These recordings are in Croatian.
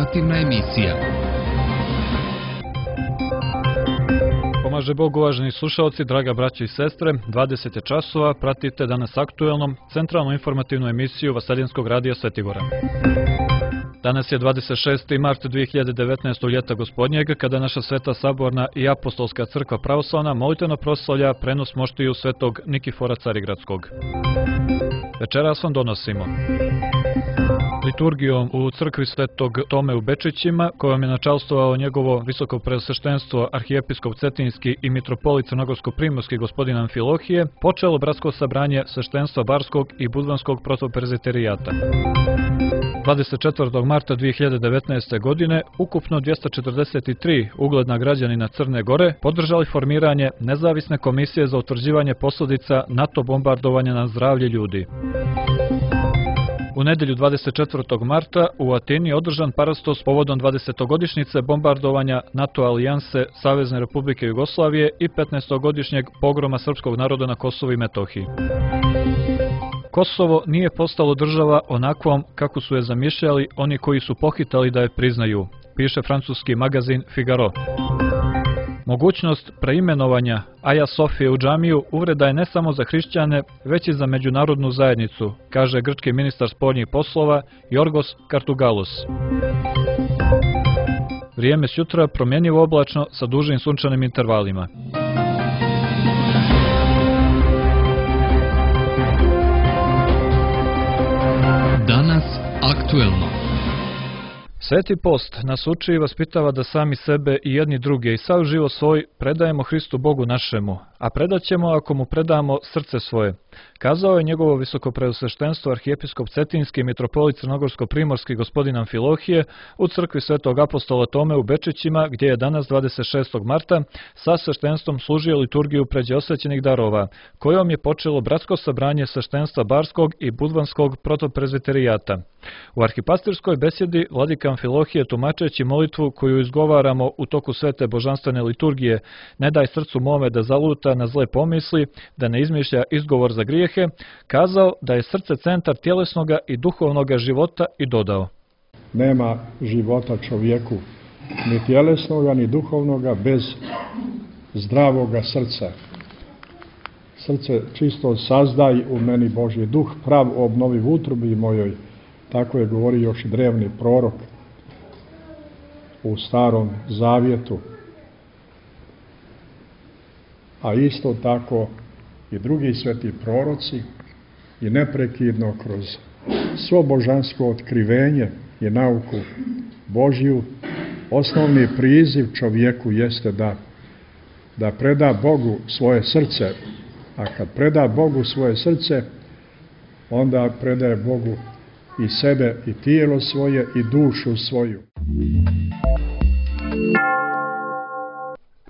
Informativna emisija. Pomaže Bog, uvaženi slušalci, draga braća i sestre, 20 je časova, pratite danas aktuelnom centralnu informativnu emisiju Vaseljenskog radija Svetigora. Danas je 26. mart 2019. ljeta gospodnjeg, kada naša Sveta Saborna i Apostolska crkva pravoslavna molitveno proslavlja prenos moštiju svetog Nikifora Carigradskog. Večeras vam donosimo liturgijom u crkvi svetog Tome u Bečićima, kojom je načalstvovao njegovo visoko preosveštenstvo arhijepiskop Cetinski i mitropolit Crnogorsko-primorski gospodin Amfilohije, počelo bratsko sabranje sveštenstva Barskog i Budvanskog protopreziterijata. 24. marta 2019. godine ukupno 243 ugledna građanina Crne Gore podržali formiranje nezavisne komisije za utvrđivanje posljedica NATO bombardovanja na zdravlje ljudi. U nedjelju 24. marta u Atini je održan parastos povodom 20-godišnjice bombardovanja NATO alijanse Savezne Republike Jugoslavije i 15-godišnjeg pogroma srpskog naroda na Kosovu i Metohiji. Kosovo nije postalo država onakvom kako su je zamišljali oni koji su pohitali da je priznaju, piše francuski magazin Figaro. Mogućnost preimenovanja Aja Sofije u džamiju uvreda je ne samo za hrišćane, već i za međunarodnu zajednicu, kaže grčki ministar spoljnih poslova Jorgos Kartugalos. Vrijeme sutra promjenjivo oblačno sa dužim sunčanim intervalima. Danas aktuelno. Sveti post nas uči i vaspitava da sami sebe i jedni druge i sav život svoj predajemo Hristu Bogu našemu, a predaćemo ako mu predamo srce svoje. Kazao je njegovo visokopreosveštenstvo arhijepiskop Cetinski i mitropolit Crnogorsko-primorski gospodin Amfilohije u crkvi svetog apostola Tome u Bečićima, gdje je danas 26. marta sa sveštenstvom služio liturgiju pređe osvećenih darova, kojom je počelo bratsko sabranje sveštenstva Barskog i Budvanskog protopreziterijata. U arhipastirskoj besjedi vladika Amfilohije, tumačeći molitvu koju izgovaramo u toku svete božanstvene liturgije, ne daj srcu mome da zaluta na zle pomisli, da ne izmišlja izgovor za grijehe, kazao da je srce centar tjelesnoga i duhovnoga života i dodao: nema života čovjeku, ni tjelesnoga, ni duhovnoga, bez zdravoga srca. Srce čisto sazdaj u meni Božji duh, prav obnovi v utrobi mojoj. Tako je govorio još drevni prorok u Starom Zavjetu. A isto tako i drugi sveti proroci i neprekidno kroz svo božansko otkrivenje i nauku Božju, osnovni priziv čovjeku jeste da preda Bogu svoje srce, a kad preda Bogu svoje srce, onda predaje Bogu i sebe, i tijelo svoje, i dušu svoju.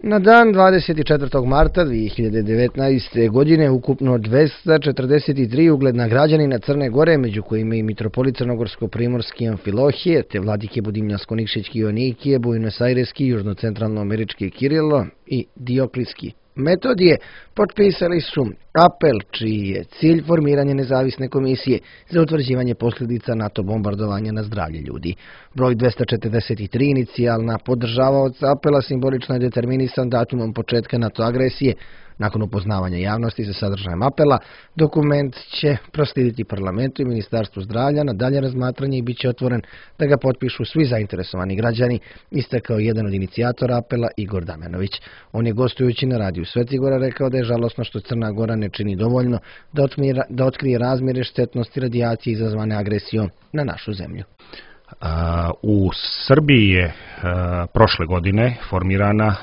Na dan 24. marta 2019. godine ukupno 243 ugledna građanina Crne Gore, među kojima i mitropolit Crnogorsko-primorski Amfilohije, te vladike Budimljansko-Nikšićki Joanikije, Buenos-Aireski, južnocentralno-američki Kirilo i Dioklijski Metodije potpisali su apel čiji je cilj formiranje nezavisne komisije za utvrđivanje posljedica NATO bombardovanja na zdravlje ljudi. Broj 243 inicijalna podržavaoca apela simbolično je determinisan datumom početka NATO agresije. Nakon upoznavanja javnosti sa sadržajem apela, dokument će proslijediti parlamentu i Ministarstvu zdravlja na dalje razmatranje i bit će otvoren da ga potpišu svi zainteresovani građani, istakao jedan od inicijatora apela Igor Damjanović. On je gostujući na radiju Svetigora rekao da je žalosno što Crna Gora ne čini dovoljno da otkrije razmjere štetnosti radijacije izazvane agresijom na našu zemlju. U Srbiji je prošle godine formirana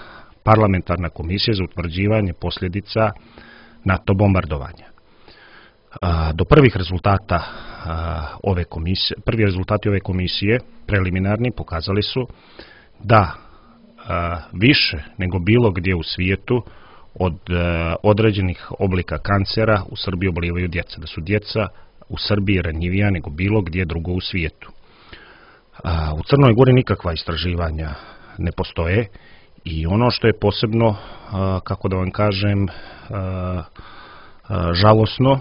parlamentarna komisija za utvrđivanje posljedica NATO bombardovanja. Do prvih rezultata prvi rezultati ove komisije, preliminarni, pokazali su da više nego bilo gdje u svijetu od određenih oblika kancera u Srbiji obolivaju djeca, da su djeca u Srbiji ranjivija nego bilo gdje drugo u svijetu. U Crnoj Gori nikakva istraživanja ne postoje i ono što je posebno, kako da vam kažem, žalosno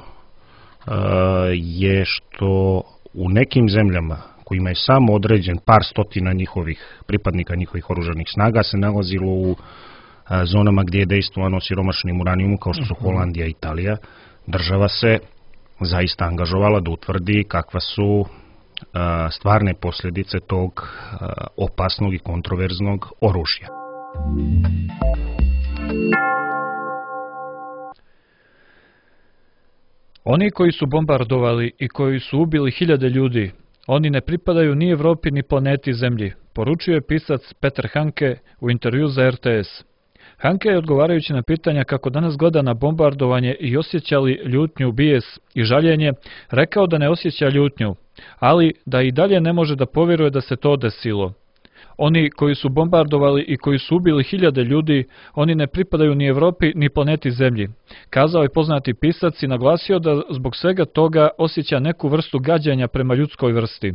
je što u nekim zemljama kojima je samo određen par stotina pripadnika njihovih oružanih snaga se nalazilo u zonama gdje je dejstvovano siromašnim uranijumom kao što su Holandija i Italija, država se zaista angažovala da utvrdi kakva su stvarne posljedice tog opasnog i kontroverznog oružja. Oni koji su bombardovali i koji su ubili hiljade ljudi, oni ne pripadaju ni Evropi ni planeti Zemlji, poručio je pisac Peter Hanke u intervju za RTS. Hanke je odgovarajući na pitanja kako danas gleda na bombardovanje i osjeća li ljutnju, bijes i žaljenje, rekao da ne osjeća ljutnju, ali da i dalje ne može da povjeruje da se to desilo. Oni koji su bombardovali i koji su ubili hiljade ljudi, oni ne pripadaju ni Evropi ni planeti Zemlji, kazao je poznati pisac i naglasio da zbog svega toga osjeća neku vrstu gađenja prema ljudskoj vrsti.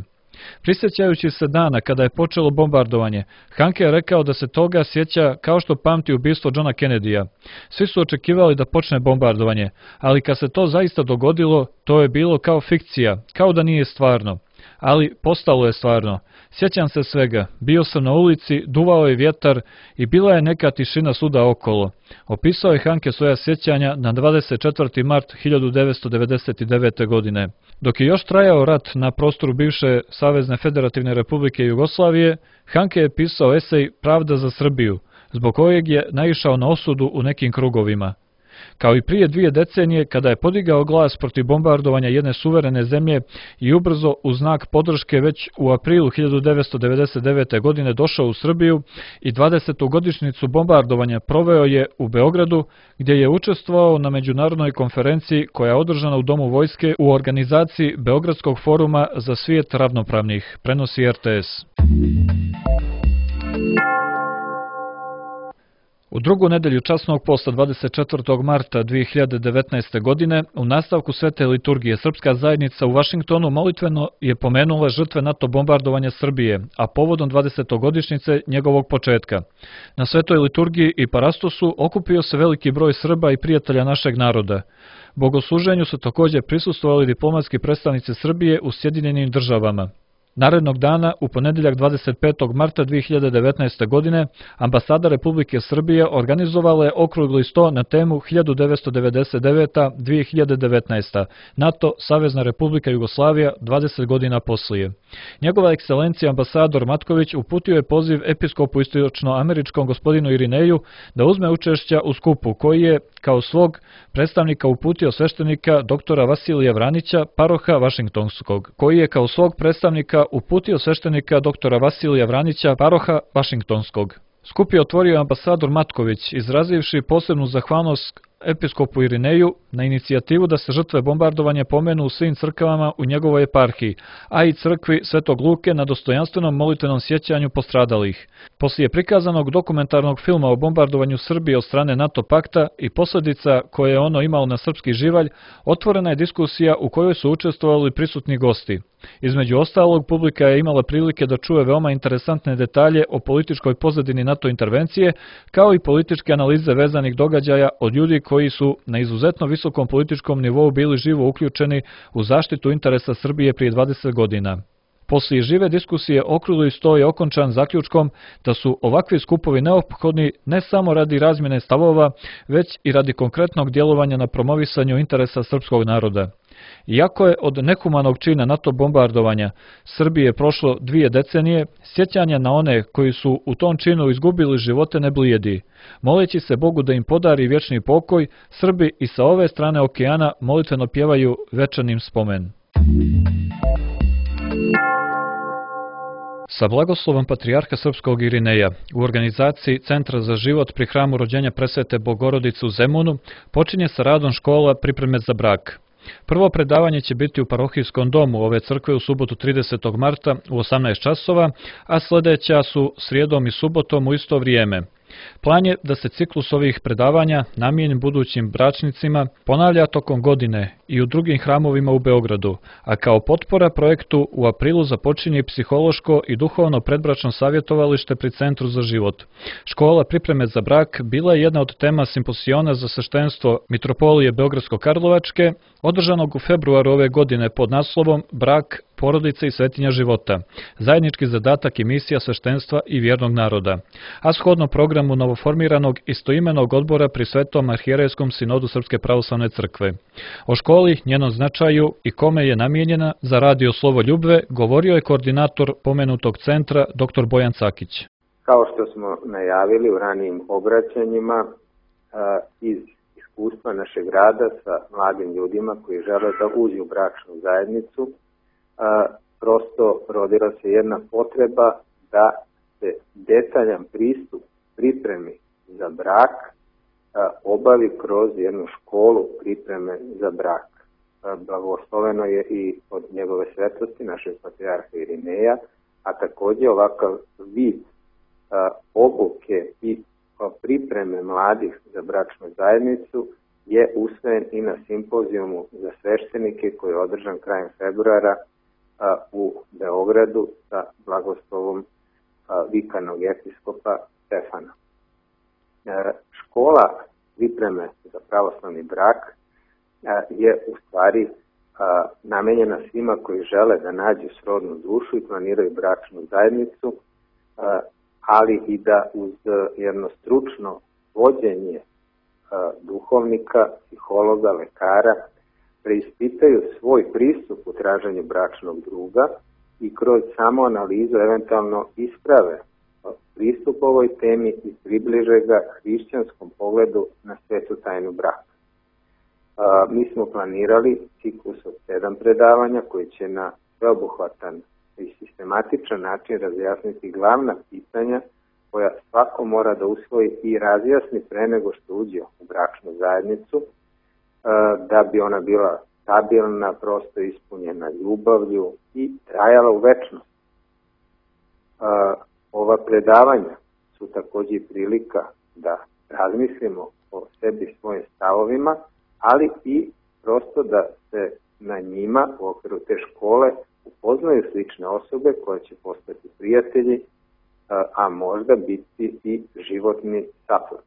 Prisjećajući se dana kada je počelo bombardovanje, Hanke je rekao da se toga sjeća kao što pamti ubistvo Johna Kennedyja. Svi su očekivali da počne bombardovanje, ali kad se to zaista dogodilo, to je bilo kao fikcija, kao da nije stvarno. Ali postalo je stvarno. Sjećam se svega, bio sam na ulici, duvao je vjetar i bila je neka tišina svuda okolo. Opisao je Hanke svoja sjećanja na 24. mart 1999. godine. Dok je još trajao rat na prostoru bivše Savezne Federativne Republike Jugoslavije, Hanke je pisao esej Pravda za Srbiju, zbog kojeg je naišao na osudu u nekim krugovima. Kao i prije 2 decenije, kada je podigao glas protiv bombardovanja jedne suverene zemlje i ubrzo u znak podrške već u aprilu 1999. godine došao u Srbiju i 20. godišnjicu bombardovanja proveo je u Beogradu, gdje je učestvovao na međunarodnoj konferenciji koja je održana u Domu vojske u organizaciji Beogradskog foruma za svijet ravnopravnih, prenosi RTS. U drugu nedelju časnog posta 24. marta 2019. godine, u nastavku svete liturgije, Srpska zajednica u Vašingtonu molitveno je pomenula žrtve NATO bombardovanja Srbije, a povodom 20. godišnjice njegovog početka. Na svetoj liturgiji i parastosu okupio se veliki broj Srba i prijatelja našeg naroda. Bogosluženju su također prisustvovali diplomatski predstavnici Srbije u Sjedinjenim Državama. Narednog dana, u ponedjeljak 25. marta 2019. godine, ambasada Republike Srbije organizovala je okrugli sto na temu 1999-2019. NATO, Savezna Republika Jugoslavija, 20 godina poslije. Njegova ekscelencija ambasador Matković uputio je poziv episkopu istočno-američkom gospodinu Irineju da uzme učešća u skupu, koji je kao svog predstavnika uputio sveštenika doktora Vasilija Vranića, paroha Vašingtonskog, Skup je otvorio ambasador Matković, izrazivši posebnu zahvalnost episkopu Irineju na inicijativu da se žrtve bombardovanja pomenu u svim crkvama u njegovoj eparhiji, a i crkvi Svetog Luke na dostojanstvenom molitvenom sjećanju postradalih. Poslije prikazanog dokumentarnog filma o bombardovanju Srbije od strane NATO pakta i posljedica koje je ono imalo na srpski živalj, otvorena je diskusija u kojoj su učestvovali prisutni gosti. Između ostalog, publika je imala prilike da čuje veoma interesantne detalje o političkoj pozadini NATO intervencije, kao i političke analize vezanih događaja od ljudi koji su na izuzetno visokom političkom nivou bili živo uključeni u zaštitu interesa Srbije prije 20 godina. Poslije žive diskusije okrugli sto je okončan zaključkom da su ovakvi skupovi neophodni ne samo radi razmjene stavova, već i radi konkretnog djelovanja na promovisanju interesa srpskog naroda. Iako je od nehumanog čina NATO bombardovanja Srbije prošlo 2 decenije, sjećanja na one koji su u tom činu izgubili živote ne blijedi. Moleći se Bogu da im podari vječni pokoj, Srbi i sa ove strane okeana molitveno pjevaju večanim spomen. Sa blagoslovom patrijarha srpskog Irineja u organizaciji Centra za život pri hramu rođenja Presvete Bogorodice u Zemunu počinje sa radom škola Pripreme za brak. Prvo predavanje će biti u parohijskom domu ove crkve u subotu 30. marta u 18 časova, a sljedeća su srijedom i subotom u isto vrijeme. Plan je da se ciklus ovih predavanja, namijenjen budućim bračnicima, ponavlja tokom godine i u drugim hramovima u Beogradu, a kao potpora projektu u aprilu započinje psihološko i duhovno predbračno savjetovalište pri Centru za život. Škola pripreme za brak bila je jedna od tema simposiona za sveštenstvo Mitropolije Beogradsko-Karlovačke, održanog u februaru ove godine pod naslovom Brak, porodica i svetinja života, zajednički zadatak i misija sveštenstva i vjernog naroda, a shodno programu novoformiranog istoimenog odbora pri Svetom arhijerejskom sinodu Srpske pravoslavne crkve. O školi, njenom značaju i kome je namijenjena za radio Slovo ljubve, govorio je koordinator pomenutog centra dr. Bojan Cakić. Kao što smo najavili u ranijim obraćanjima, iz iskustva našeg rada sa mladim ljudima koji žele da uđu u bračnu zajednicu, prosto rodila se jedna potreba da se detaljan pristup pripremi za brak obavi kroz jednu školu pripreme za brak. Blagosloveno je i od njegove svetlosti, našeg patrijarha Irineja, a također ovakav vid obuke i pripreme mladih za bračnu zajednicu je usvojen i na simpozijumu za sveštenike koji je održan krajem februara u Beogradu sa blagoslovom vikarnog episkopa Stefana. Škola pripreme za pravoslavni brak je u stvari namenjena svima koji žele da nađu srodnu dušu i planiraju bračnu zajednicu, ali i da uz jedno stručno vođenje duhovnika, psihologa, lekara preispitaju svoj pristup u traženju bračnog druga i kroz samoanalizu eventualno isprave pristup ovoj temi i približe ga hrišćanskom pogledu na svetu tajnu braka. Mi smo planirali ciklus od 7 predavanja koji će na sveobuhvatan i sistematičan način razjasniti glavna pitanja koja svako mora da usvoji i razjasni pre nego što uđe u bračnu zajednicu, da bi ona bila stabilna, prosto ispunjena ljubavlju i trajala u večnost. Ova predavanja su također prilika da razmislimo o sebi i svojim stavovima, ali i prosto da se na njima u okviru te škole upoznaju slične osobe koje će postati prijatelji, a možda biti i životni saplod.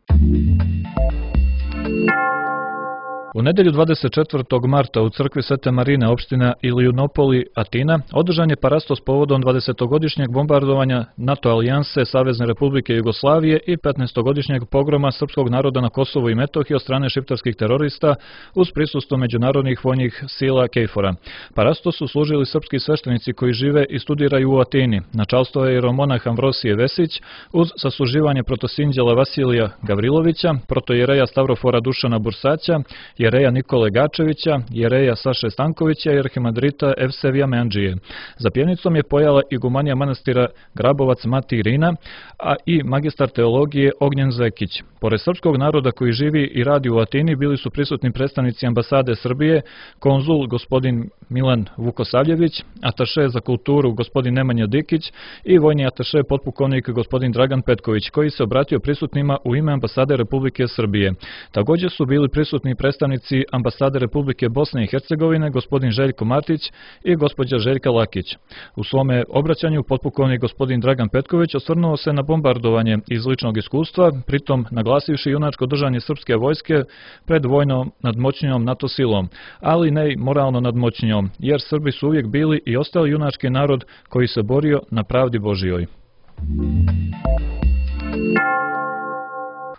U nedelju 24. marta u crkvi Svete Marine opština Ilijunopoli, Atina, održan je parastos povodom 20-godišnjeg bombardovanja NATO alijanse Savezne Republike Jugoslavije i 15-godišnjeg pogroma srpskog naroda na Kosovu i Metohiji od strane šiptarskih terorista uz prisustvo međunarodnih vojnih sila KFOR-a. Parastos su služili srpski sveštenici koji žive i studiraju u Atini. Načalstvo je jeromonah Amvrosije Vesić uz sasluživanje protosinđela Vasilija Gavrilovića, protojereja Stavrofora Dušana Bursaća, jereja Nikole Gačevića, jereja Saše Stankovića i arhimadrita Evsevija Meandžije. Za pjenicom je pojala igumanija manastira Grabovac Mati Irina, a i magistar teologije Ognjen Zekić. Pored srpskog naroda koji živi i radi u Atini bili su prisutni predstavnici ambasade Srbije, konzul gospodin Milan Vukosavljević, ataše za kulturu gospodin Nemanja Dikić i vojni ataše potpukovnik gospodin Dragan Petković, koji se obratio prisutnima u ime ambasade Republike Srbije. Također su bili prisutni predstavnici ambasade Republike Bosne i Hercegovine, gospodin Željko Martić i gospođa Željka Lakić. U svome obraćanju potpukovnik gospodin Dragan Petković osvrnuo se na bombardovanje iz ličnog iskustva, pritom naglasivši junačko držanje srpske vojske pred vojnom nadmoćnijom NATO silom, ali ne i moralno nadmoćnijom, jer Srbi su uvijek bili i ostali junački narod koji se borio na pravdi Božijoj.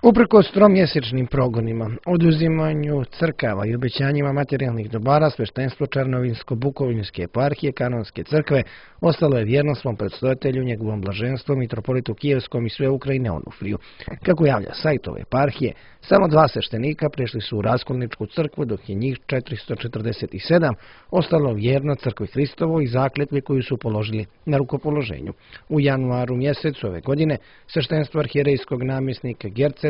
Uprkos tromjesečnim progonima, oduzimanju crkava i obećanjima materijalnih dobara, sveštenstvo Černovinsko-Bukovinske eparhije Kanonske crkve ostalo je vjerno svom predstojatelju, njegovom blaženstvu, mitropolitu Kijevskom i sve Ukrajine Onufriju. Kako javlja sajt ove eparhije, samo 2 sveštenika prešli su u Raskolničku crkvu, dok je njih 447 ostalo vjerno crkvi Hristovoj i zakletvi koju su položili na rukopoloženju. U januaru mjesecu ove godine sveštenstvo arhijerejskog namjesnika Gerce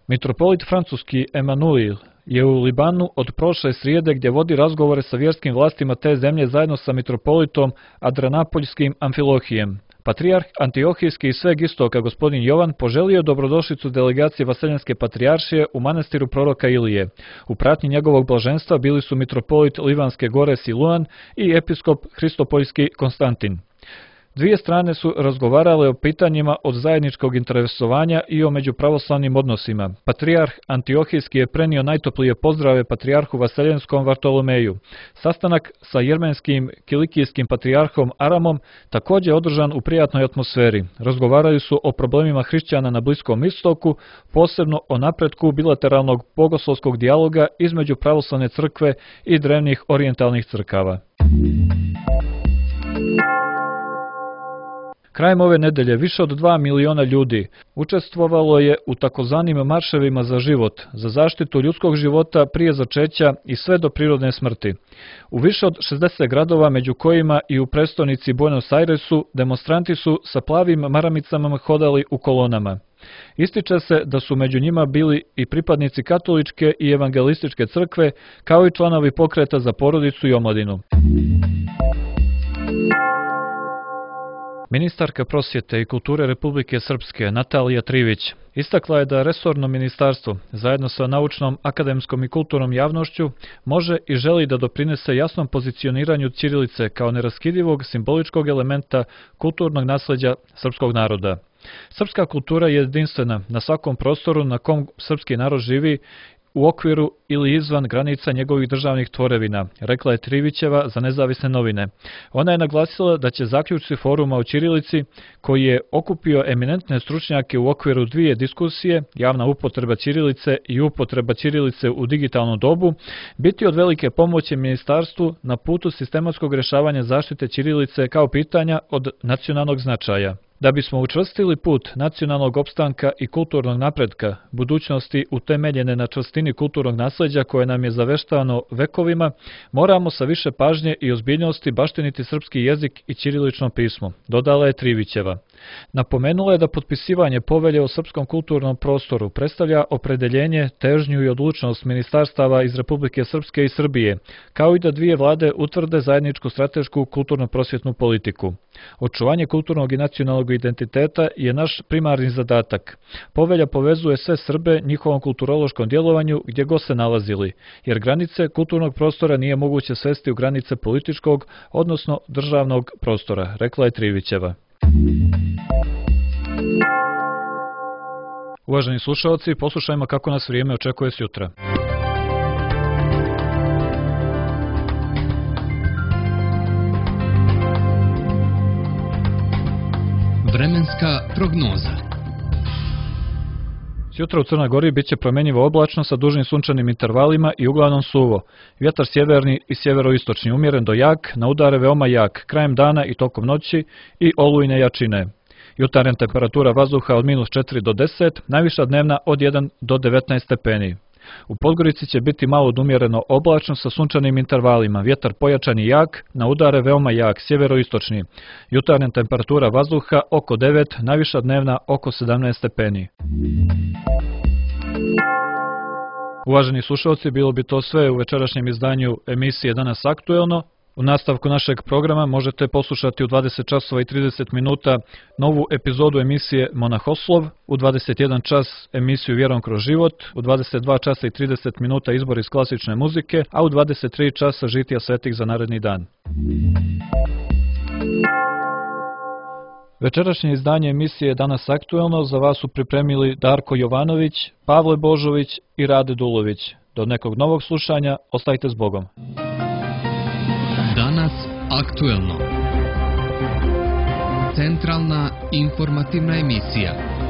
Mitropolit francuski Emanuil je u Libanu od prošle srijede gdje vodi razgovore sa vjerskim vlastima te zemlje zajedno sa mitropolitom Adranapoljskim Amfilohijem. Patrijarh Antiohijski iz sveg istoka gospodin Jovan poželio dobrodošlicu delegacije Vaseljenske patrijaršije u manastiru proroka Ilije. U pratnji njegovog blaženstva bili su mitropolit Livanske gore Siluan i episkop Hristopoljski Konstantin. Dvije strane su razgovarale o pitanjima od zajedničkog interesovanja i o međupravoslavnim odnosima. Patrijarh Antiohijski je prenio najtoplije pozdrave patrijarhu Vaseljenskom Vartolomeju. Sastanak sa jermenskim kilikijskim patrijarhom Aramom također održan u prijatnoj atmosferi. Razgovarali su o problemima hrišćana na Bliskom istoku, posebno o napretku bilateralnog bogoslovskog dijaloga između pravoslavne crkve i drevnih orijentalnih crkava. Krajem ove nedelje više od 2 miliona ljudi učestvovalo je u takozvanim marševima za život, za zaštitu ljudskog života prije začeća i sve do prirodne smrti. U više od 60 gradova, među kojima i u prestonici Buenos Airesu, demonstranti su sa plavim maramicama hodali u kolonama. Ističe se da su među njima bili i pripadnici katoličke i evangelističke crkve, kao i članovi pokreta za porodicu i omladinu. Ministarka prosvjete i kulture Republike Srpske Natalija Trivić istakla je da resorno ministarstvo, zajedno sa naučnom, akademskom i kulturnom javnošću, može i želi da doprinese jasnom pozicioniranju ćirilice kao neraskidivog simboličkog elementa kulturnog nasleđa srpskog naroda. Srpska kultura je jedinstvena na svakom prostoru na kom srpski narod živi, u okviru ili izvan granica njegovih državnih tvorevina, rekla je Trivićeva za Nezavisne novine. Ona je naglasila da će zaključci foruma o ćirilici, koji je okupio eminentne stručnjake u okviru dvije diskusije, javna upotreba ćirilice i upotreba ćirilice u digitalnom dobu, biti od velike pomoći ministarstvu na putu sistematskog rješavanja zaštite ćirilice kao pitanja od nacionalnog značaja. Da bismo učvrstili put nacionalnog opstanka i kulturnog napretka, budućnosti utemeljene na čvrstini kulturnog nasleđa koje nam je zaveštano vekovima, moramo sa više pažnje i ozbiljnosti baštiniti srpski jezik i ćirilično pismo, dodala je Trivićeva. Napomenula je da potpisivanje povelje o srpskom kulturnom prostoru predstavlja opredeljenje, težnju i odlučnost ministarstava iz Republike Srpske i Srbije, kao i da dvije vlade utvrde zajedničku stratešku kulturno-prosvjetnu politiku. Očuvanje kulturnog i nacionalnog identiteta je naš primarni zadatak. Povelja povezuje sve Srbe njihovom kulturološkom djelovanju gdje god se nalazili, jer granice kulturnog prostora nije moguće svesti u granice političkog, odnosno državnog prostora, rekla je Trivićeva. Uvaženi slušalci, poslušajmo kako nas vrijeme očekuje sutra. Vremenska prognoza. Sutra u Crnoj Gori bit će promjenjivo oblačno sa dužim sunčanim intervalima i uglavnom suvo. Vjetar sjeverni i sjeveroistočni umjeren do jak, na udare veoma jak, krajem dana i tokom noći i olujne jačine. Jutarnja temperatura vazduha od -4 do 10, najviša dnevna od 1 do 19 stepeni. U Podgorici će biti malo odumjereno oblačno sa sunčanim intervalima, vjetar pojačan i jak, na udare veoma jak, sjeveroistočni. Jutarnja temperatura vazduha oko 9, najviša dnevna oko 17 stepeni. Uvaženi slušalci, bilo bi to sve u večerašnjem izdanju emisije Danas aktuelno. U nastavku našeg programa možete poslušati u 20 časova i 30 minuta novu epizodu emisije Monahoslov, u 21 čas emisiju Vjerom kroz život, u 22 časa i 30 minuta izbor iz klasične muzike, a u 23 časa žitija svetih za naredni dan. Večerašnje izdanje emisije Danas aktuelno za vas su pripremili Darko Jovanović, Pavle Božović i Rade Dulović. Do nekog novog slušanja, ostajte s Bogom. Danas aktuelno. Centralna informativna emisija.